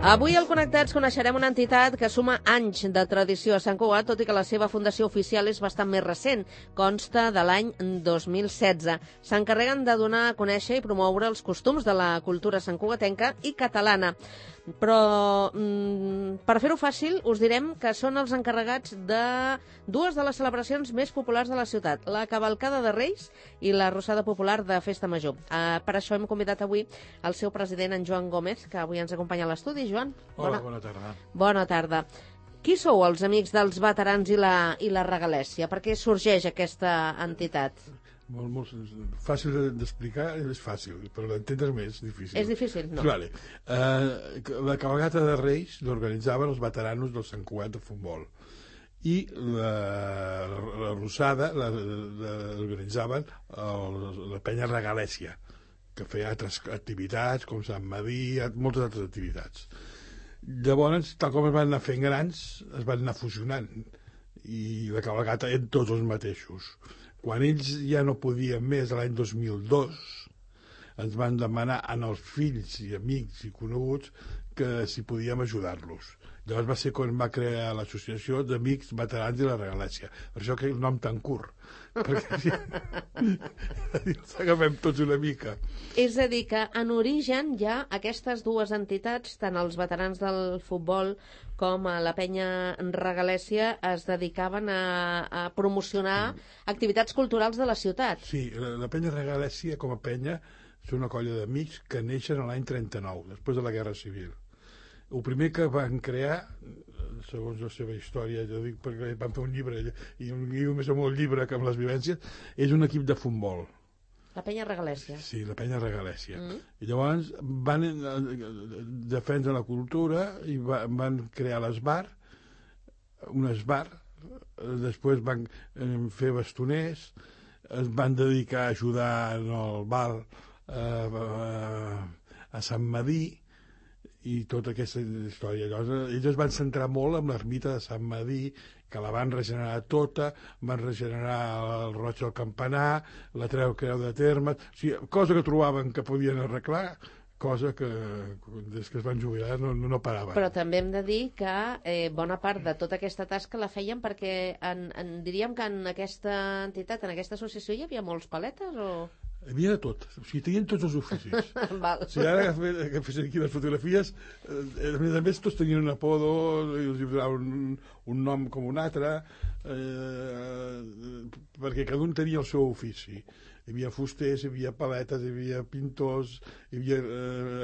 Avui al Connectats coneixerem una entitat que suma anys de tradició a Sant Cugat, tot i que la seva fundació oficial és bastant més recent, consta de l'any 2016. S'encarreguen de donar a conèixer i promoure els costums de la cultura santcugatenca i catalana. Però per fer-ho fàcil us direm que són els encarregats de dues de les celebracions més populars de la ciutat, la Cavalcada de Reis i la Rossada Popular de Festa Major. Per això hem convidat avui el seu president, en Joan Gómez, que avui ens acompanya a l'estudi. Joan, hola, bona tarda. Bona tarda. Qui sou els amics dels veterans i la regalèssia? Per què sorgeix aquesta entitat? Molt fàcil d'explicar, és fàcil, però d'entendre més difícil. És difícil? No. Vale. La cavalgata de Reis l'organitzaven els veteranos del Sant Cugat de futbol i la Rossada l'organitzaven la penya Regalèssia, que feia altres activitats, com Sant Madí, moltes altres activitats. Llavors, tal com es van anar fent grans, es van anar fusionant, i la cavalcata eren tots els mateixos. Quan ells ja no podien més, l'any 2002, ens van demanar als fills i amics i coneguts que si podíem ajudar-los. Llavors va ser quan va crear l'associació d'Amics Veterans i la Regalèssia. Per això que el nom tan curt, perquè si ens agafem tots una mica. És a dir, que en origen ja aquestes dues entitats, tant els veterans del futbol com a la penya Regalèssia, es dedicaven a promocionar activitats culturals de la ciutat. Sí, la penya Regalèssia com a penya és una colla d'amics que neixen l'any 39, després de la Guerra Civil. El primer que van crear, segons la seva història, jo dic perquè van fer un llibre, i un guió més amb el llibre que amb les vivències, és un equip de futbol. La penya Regalèssia. Sí, la penya Regalèssia. I llavors van defendre la cultura i van crear l'esbar, un esbar, després van fer bastoners, es van dedicar a ajudar en el bal a Sant Madí, i tota aquesta història. Llavors, ells es van centrar molt en l'ermita de Sant Madí, que la van regenerar tota, van regenerar el roig del campanar, la creu de termes, o sigui, cosa que trobaven que podien arreglar, cosa que des que es van jubilar no paraven. Però també hem de dir que bona part de tota aquesta tasca la feien perquè diríem que en aquesta entitat, en aquesta associació, hi havia molts paletes o...? Hi havia de tot, o sigui, tenien tots els oficis. Val. Si ara que fes aquí les fotografies, a més tots tenien un apodo, i els donaven un nom com un altre, perquè cada un tenia el seu ofici. Hi havia fusters, hi havia paletes, hi havia pintors, hi havia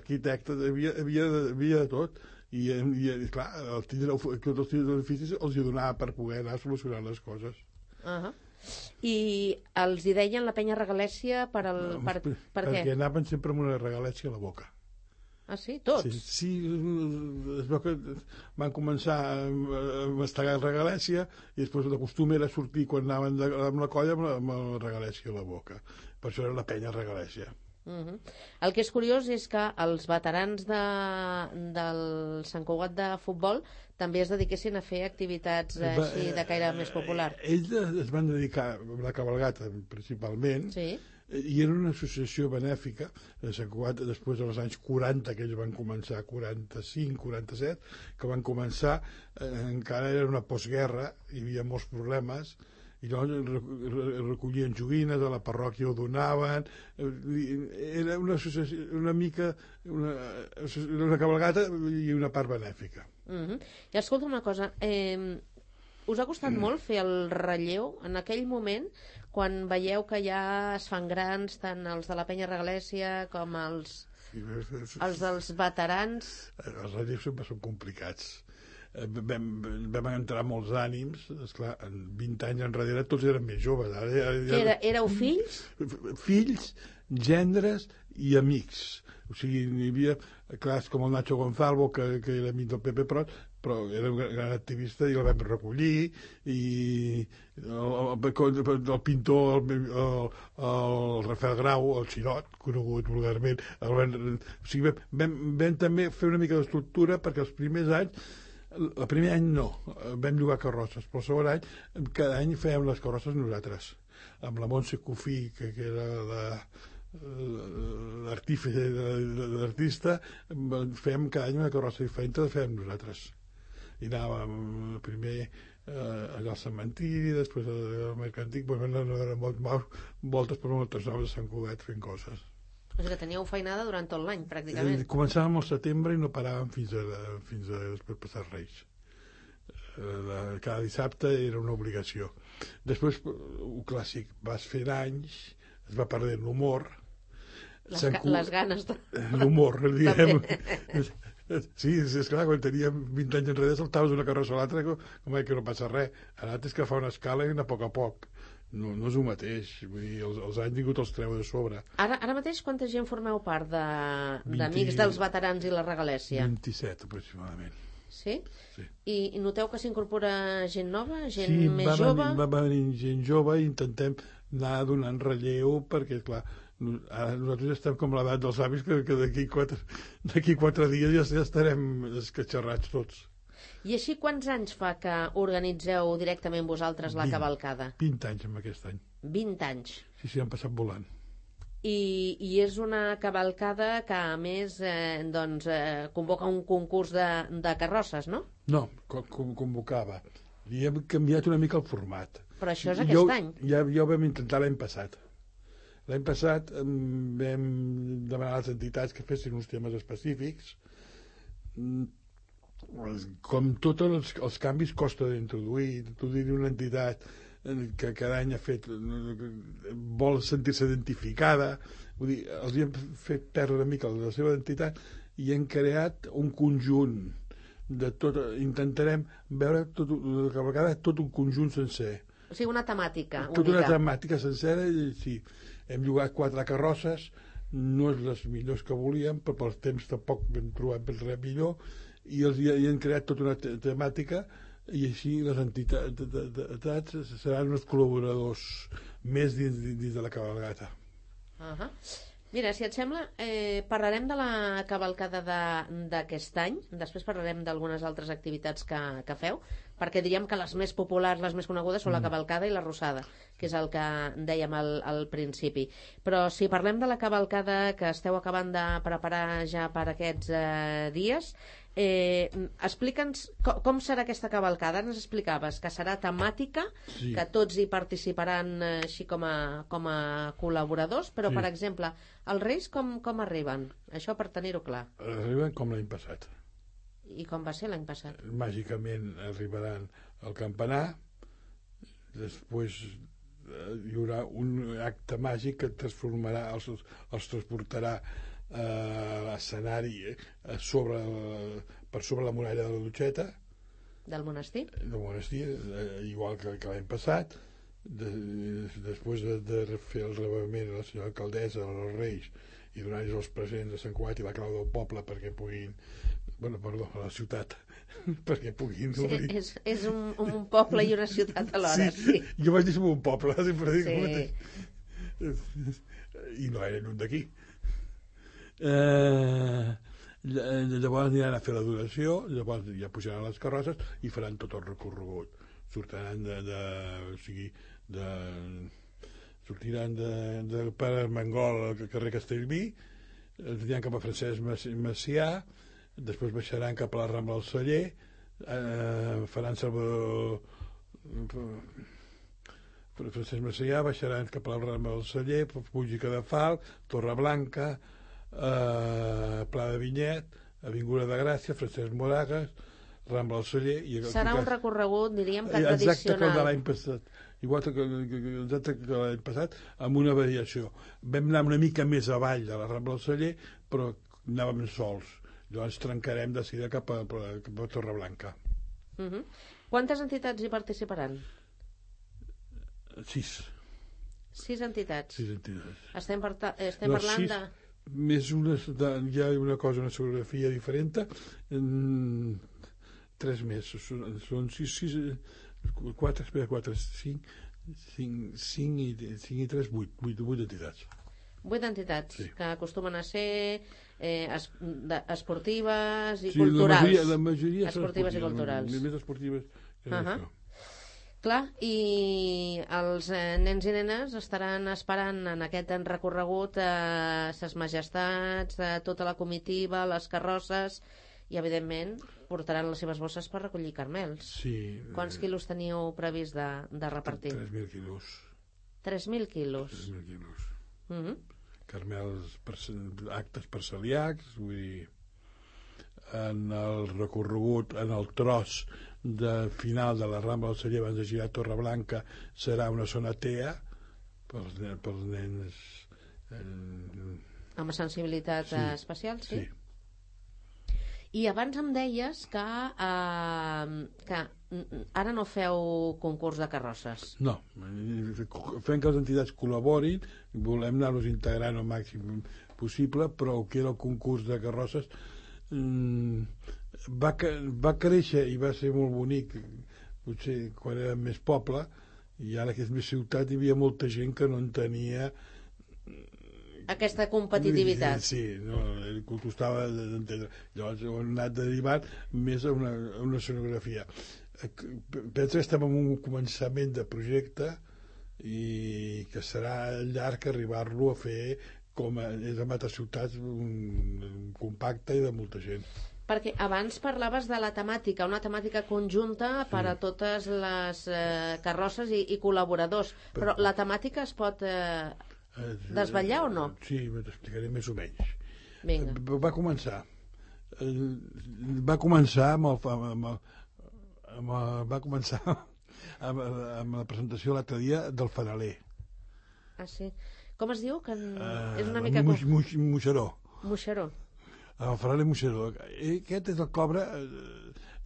arquitectes, hi havia de tot. I clar, tots els oficis els hi donava per poder anar solucionant les coses. I els hi deien la penya Regalèssia per què? Perquè anaven sempre amb una regalèssia a la boca. Ah, sí? Tots? Sí, es veu que van començar a mastegar regalèssia i després el costum era sortir quan anaven amb la colla amb la regalèssia a la boca. Per això era la penya Regalèssia. El que és curiós és que els veterans del Sant Cugat de futbol també es dediquessin a fer activitats així de caire més popular. Ells es van dedicar a la cavalgata principalment, i era una associació benèfica de Sant Cugat després dels anys 40, que ells van començar, 45, 47, que van començar, encara era una postguerra, hi havia molts problemes, i llavors recollien joguines, a la parròquia ho donaven, era una associació, una mica una cavalgata i una part benèfica. I escolta una cosa, us ha costat molt fer el relleu en aquell moment, quan veieu que ja es fan grans tant els de la penya Regalèssia com els dels veterans? Els relleus sempre són complicats. Vam entrar molts ànims, esclar, en 20 anys enrere tots eren més joves. Éreu fills? Fills, gendres i amics. O sigui, hi havia, clar, com el Nacho Gonzalvo, que era amic del Pepe Prot, però era un gran activista i el vam recollir, i el pintor, el Rafael Grau, el Xirot, conegut vulgarment, o sigui, vam també fer una mica d'estructura perquè els primers anys, el primer any no, vam llogar carrosses, però el segon any, cada any fèiem les carrosses nosaltres, amb la Montse Cofí, que era l'artista, fem cada any una carrossa diferent, la fem nosaltres. I anàvem primer allà al cementiri, després al mercantic, voltes per moltes zones de Sant Cugat fent coses. O sigui que teníeu feinada durant tot l'any, pràcticament. Començàvem al setembre i no paràvem fins a després passar Reis. Cada dissabte era una obligació. Després, un clàssic, vas fent anys, es va perdent l'humor. Les ganes de... L'humor, diguem. Sí, és clar, quan teníem 20 anys enrere saltaves d'una carrossa a l'altra com que no passa res. Ara tens que fa una escala i anar a poc. No és el mateix. Vull dir, els anys ningú te'ls treu de sobre. Ara mateix quanta gent formeu part d'Amics dels Veterans i la Regalèssia? 27, aproximadament. Sí? Sí. I noteu que s'incorpora gent nova, gent més jove? Sí, va venir gent jove i intentem anar donant relleu perquè, clar, ara nosaltres estem com l'edat dels avis que d'aquí 4 dies ja estarem escatxarrats tots. I així quants anys fa que organitzeu directament vosaltres la cavalcada? 20 anys amb aquest any. 20 anys? Sí, han passat volant. I és una cavalcada que a més convoca un concurs de carrosses, no? No, convocava. Li hem canviat una mica el format. Però això és aquest any? Ja ho vam intentar l'any passat. L'any passat vam demanar a les entitats que fessin uns temes específics. Com tots els canvis costa d'introduir. Introduir una entitat que cada any ha fet vol sentir-se identificada, vull dir, els hem fet perdre una mica la seva identitat i hem creat un conjunt de tot, intentarem veure tot un conjunt sencer, o sigui una temàtica única. Tota una temàtica sencera i sí, hem llogat 4 carrosses, no és les millors que volíem, però pels temps tampoc hem trobat res millor i hem creat tota una temàtica i així les entitats seran uns col·laboradors més dins de la cavalgata. Mira, si et sembla, parlarem de la cavalcada d'aquest any, després parlarem d'algunes altres activitats que feu, perquè diríem que les més populars, les més conegudes són la cavalcada i la rossada, que és el que dèiem al principi. Però si parlem de la cavalcada que esteu acabant de preparar ja per aquests dies, explica'ns com serà aquesta cavalcada. Ens explicaves que serà temàtica, sí, que tots hi participaran així com a col·laboradors, però sí, per exemple, els Reis com arriben? Això per tenir-ho clar. Arriben com l'any passat. I com va ser l'any passat? Màgicament arribaran al campanar, després hi haurà un acte màgic que transformarà, els transportarà a l'escenari per sobre la muralla de la Dutxeta del monestir, igual que l'any passat. Després de fer el rebament a la senyora alcaldessa, als Reis, i donar-los els presents a Sant Cugat i la clau del poble perquè puguin, a la ciutat, perquè puguin obrir. Sí, és un poble i una ciutat alhora. Sí. Jo vaig dir som un poble, sempre dic el mateix. I no era lluny d'aquí. Llavors aniran a fer l'adoració, llavors ja pujaran les carrosses i faran tot el recorregut. Sortiran de Pare Armengol al carrer Castellví, aniran cap a Francesc Macià, després baixaran cap a la Rambla del Celler, faran Salvador Francesc Macià, baixaran cap a la Rambla del Celler, Puig de Fal, Torreblanca, Pla de Vinyet, Avinguda de Gràcia, Francesc Moragas, Rambla del Celler. Serà un recorregut, diríem, que tradicional. Exacte com l'any passat. Igual que l'any passat, amb una variació. Vam anar una mica més avall de la Rambla del Celler, però anàvem sols. Llavors trencarem de seguida cap a Torreblanca. Quantes entitats hi participaran? 6. 6 entitats? 6 entitats. Estem parlant de... Més hi ha una cosa, una geografia diferent, 3 més, són 6, 4, 5 i 3, 8 entitats. 8 entitats, sí, que acostumen a ser esportives i sí, culturals. La majoria esportives i culturals. Més esportives que això. Clar, i els nens i nenes estaran esperant en aquest recorregut ses majestats, tota la comitiva, les carrosses, i evidentment portaran les seves bosses per recollir carmels. Sí. Quants quilos teníeu previst de repartir? 3.000 quilos. 3.000 quilos. 3.000 quilos. Carmels, actes per celíacs, vull dir, en el recorregut, en el tros de final de la Rambla del Celler abans de girar a Torreblanca serà una zona TEA pels nens amb sensibilitat especial, sí? Sí. I abans em deies que ara no feu concurs de carrosses. No, fem que les entitats col·laborin, volem anar-nos integrant al màxim possible, però el que era el concurs de carrosses va créixer i va ser molt bonic, potser quan era més poble, i ara que és més ciutat hi havia molta gent que no en tenia aquesta competitivitat. Sí, no, costava d'entendre. Llavors ho han anat derivant més a una escenografia. Penso que estem en un començament de projecte i que serà llarg arribar-lo a fer com és en altres ciutats compacte i de molta gent. Perquè abans parlaves de la temàtica, una temàtica conjunta per a totes les carrosses i col·laboradors, però la temàtica es pot desvetllar o no? Sí, t'explicaré més o menys. Vinga. Va començar amb la presentació l'altre dia del fanaler. Ah, sí? Com es diu? Que és una mica... Moixeró. Moixeró. El fanaler Moixeró. Aquest és el que obre,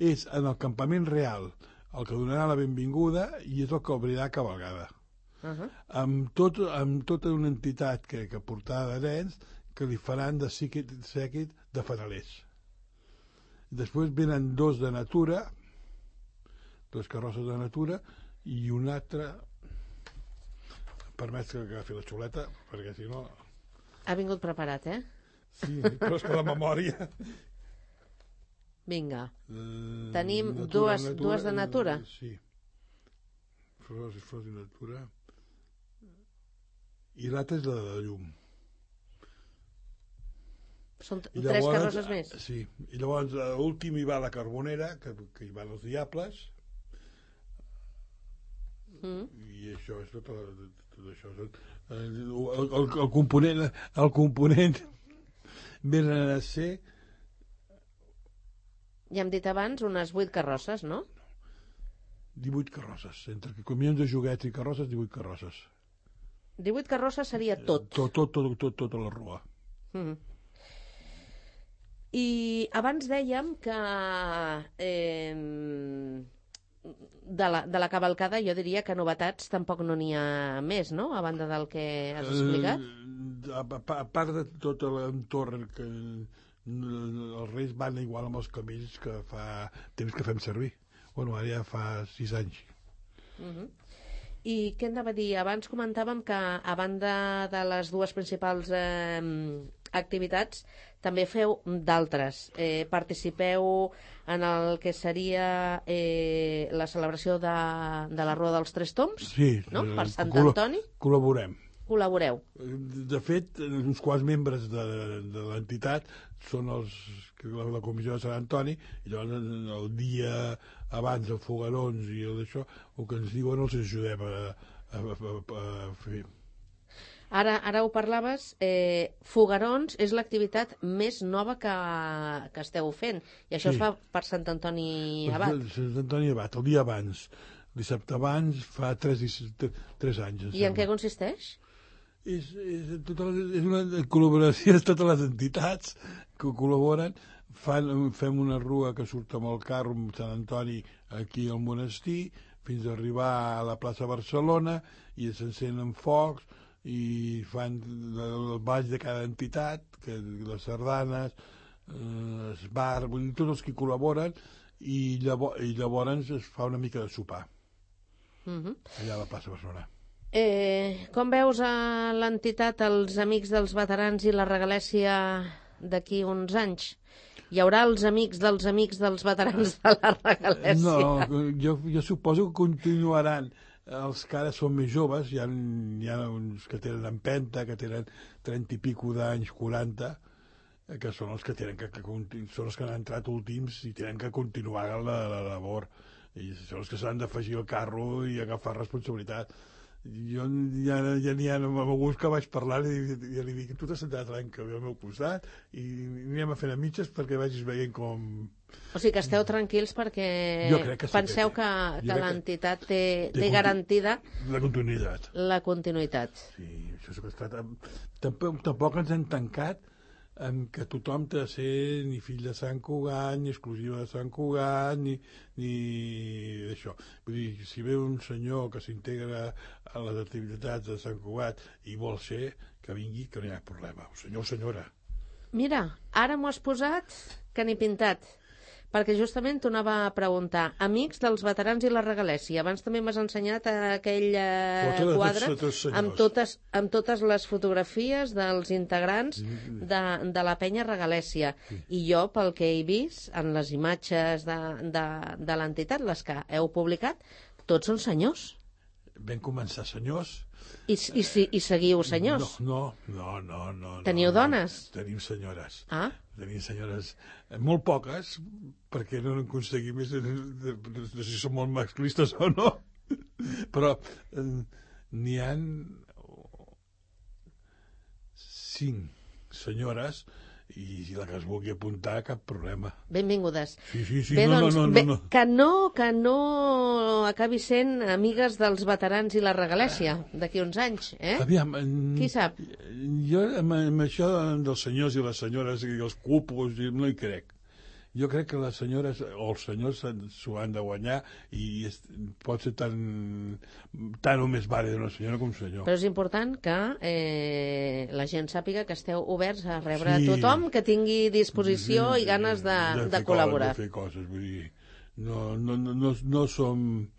és en el campament real el que donarà la benvinguda i és el que obrirà cavalgada. Amb tota una entitat que portarà de nens que li faran de sèquit de fanalers. Després venen dos de natura, dos carrosses de natura i un altre, permès que agafi la xuleta perquè si no... Ha vingut preparat, eh? Sí, però és que la memòria... Vinga. Tenim dues de natura? Sí. Flors de natura... i l'altra és la de llum. Són tres carrosses més? Sí, i llavors l'últim hi va la Carbonera, que hi van els Diables, i això és tot això. El component més a ser... Ja hem dit abans unes 8 carrosses, no? 18 carrosses, entre camions de joguets i carrosses, 18 carrosses. 18 carrosses seria tot. Tota la rua. I abans dèiem que de la cavalcada jo diria que novetats tampoc no n'hi ha més, no? A banda del que has explicat. A part de tot l'entorn que els Reis van igual amb els camells que fa temps que fem servir. Bueno, ara ja fa 6 anys. I què anava a dir? Abans comentàvem que a banda de les dues principals activitats també feu d'altres. Participeu en el que seria la celebració de la Rua dels Tres Tombs, sí, no? Per Sant Antoni. Col·laboreu. De fet, uns quants membres de l'entitat són la comissió de Sant Antoni, i llavors el dia abans els foguerons i d'això, el que ens diuen els ajudem a fer. Ara ho parlaves, foguerons és l'activitat més nova que esteu fent, i això es fa per Sant Antoni Abat. Sant Antoni Abat, el dia abans. Dissabte abans, fa 3 anys. I en què consisteix? És una col·laboració de totes les entitats que col·laboren. Fem una rua que surt amb el carro amb Sant Antoni aquí al monestir fins a arribar a la plaça Barcelona i s'encenen focs i fan el ball de cada entitat, les sardanes, els bars, vull dir, tots els que col·laboren, i llavors es fa una mica de sopar allà a la plaça Barcelona. Com veus a l'entitat, els Amics dels Veterans i la Regalèssia d'aquí uns anys? Hi haurà els amics dels veterans de la Regalèssia? No, jo suposo que continuaran els que ara són més joves, hi ha uns que tenen empenta, que tenen 30 i pico d'anys, 40, que són els que són els que han entrat últims i tenen que continuar la labor, i són els que s'han d'afegir al carro i agafar responsabilitat. Jo ja n'hi ha amb alguns que vaig parlar i ja li dic, tu t'has sentat l'any que ve al meu costat i anem a fer a mitges perquè vagis veient com... O sigui que esteu tranquils perquè penseu que l'entitat té garantida la continuïtat. La continuïtat. Sí, això és que ha estat... Tampoc ens hem tancat en que tothom té de ser ni fill de Sant Cugat, ni exclusiva de Sant Cugat, ni d'això. Vull dir, si ve un senyor que s'integra a les activitats de Sant Cugat i vol ser, que vingui, que no hi ha problema. Senyor o senyora. Mira, ara m'ho has posat que n'he pintat, perquè justament t'ho anava a preguntar. Amics dels veterans i la regalèssia. Abans també m'has ensenyat aquell quadre amb totes les fotografies dels integrants de la penya regalèssia. I jo, pel que he vist en les imatges de l'entitat, les que heu publicat, tots són senyors. Vam començar senyors. I seguiu senyors? No. Teniu dones? Tenim senyores. Ah? Tenim senyores molt poques, perquè no n'aconseguim més, no sé si són molt masclistes o no, però n'hi ha 5 senyores i si la que es vulgui apuntar, cap problema. Benvingudes. Sí. Bé, no. Que no acabi sent amigues dels veterans i la regalèssia d'aquí uns anys, eh? Aviam, qui sap? Jo amb això dels senyors i les senyores i els cupos no hi crec. Jo crec que les senyores o els senyors s'ho han de guanyar i pot ser tant o més vàlid una senyora com un senyor. Però és important que la gent sàpiga que esteu oberts a rebre tothom que tingui disposició i ganes de col·laborar. De fer coses, vull dir, no som...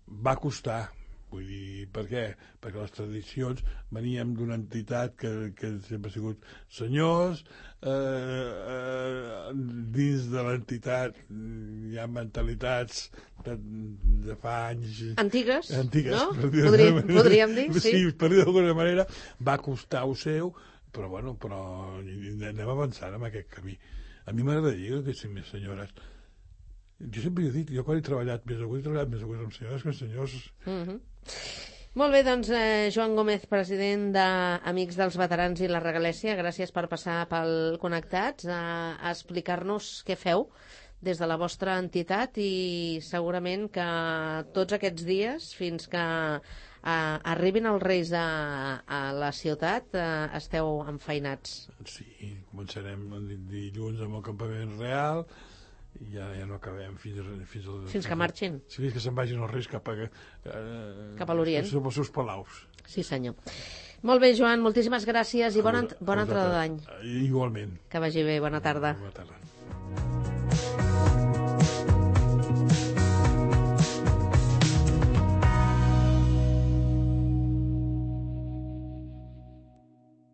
Va costar. Vull dir, per què? Perquè les tradicions veníem d'una entitat que sempre ha sigut senyors, dins de l'entitat hi ha mentalitats de fa anys... Antigues, no? Podríem dir, sí. Sí, per dir d'alguna manera, va costar ho seu, però anem avançant en aquest camí. A mi m'agradaria que hi més senyores. Jo sempre he dit, jo quan he treballat més amb senyores que amb senyors. Molt bé, doncs, Joan Gómez, president d'Amics dels Veterans i la Regalèssia, gràcies per passar pel Connectats a explicar-nos què feu des de la vostra entitat i segurament que tots aquests dies, fins que arribin els Reis a la ciutat, esteu enfeinats. Sí, començarem dilluns amb el campament real. Ja no acabem fins que marxin. Sí, fins que se'n vagin els Reis cap a l'Orient. Cap als seus palaus. Sí, senyor. Molt bé, Joan, moltíssimes gràcies i bona entrada d'any. Igualment. Que vagi bé, bona tarda. Bona tarda.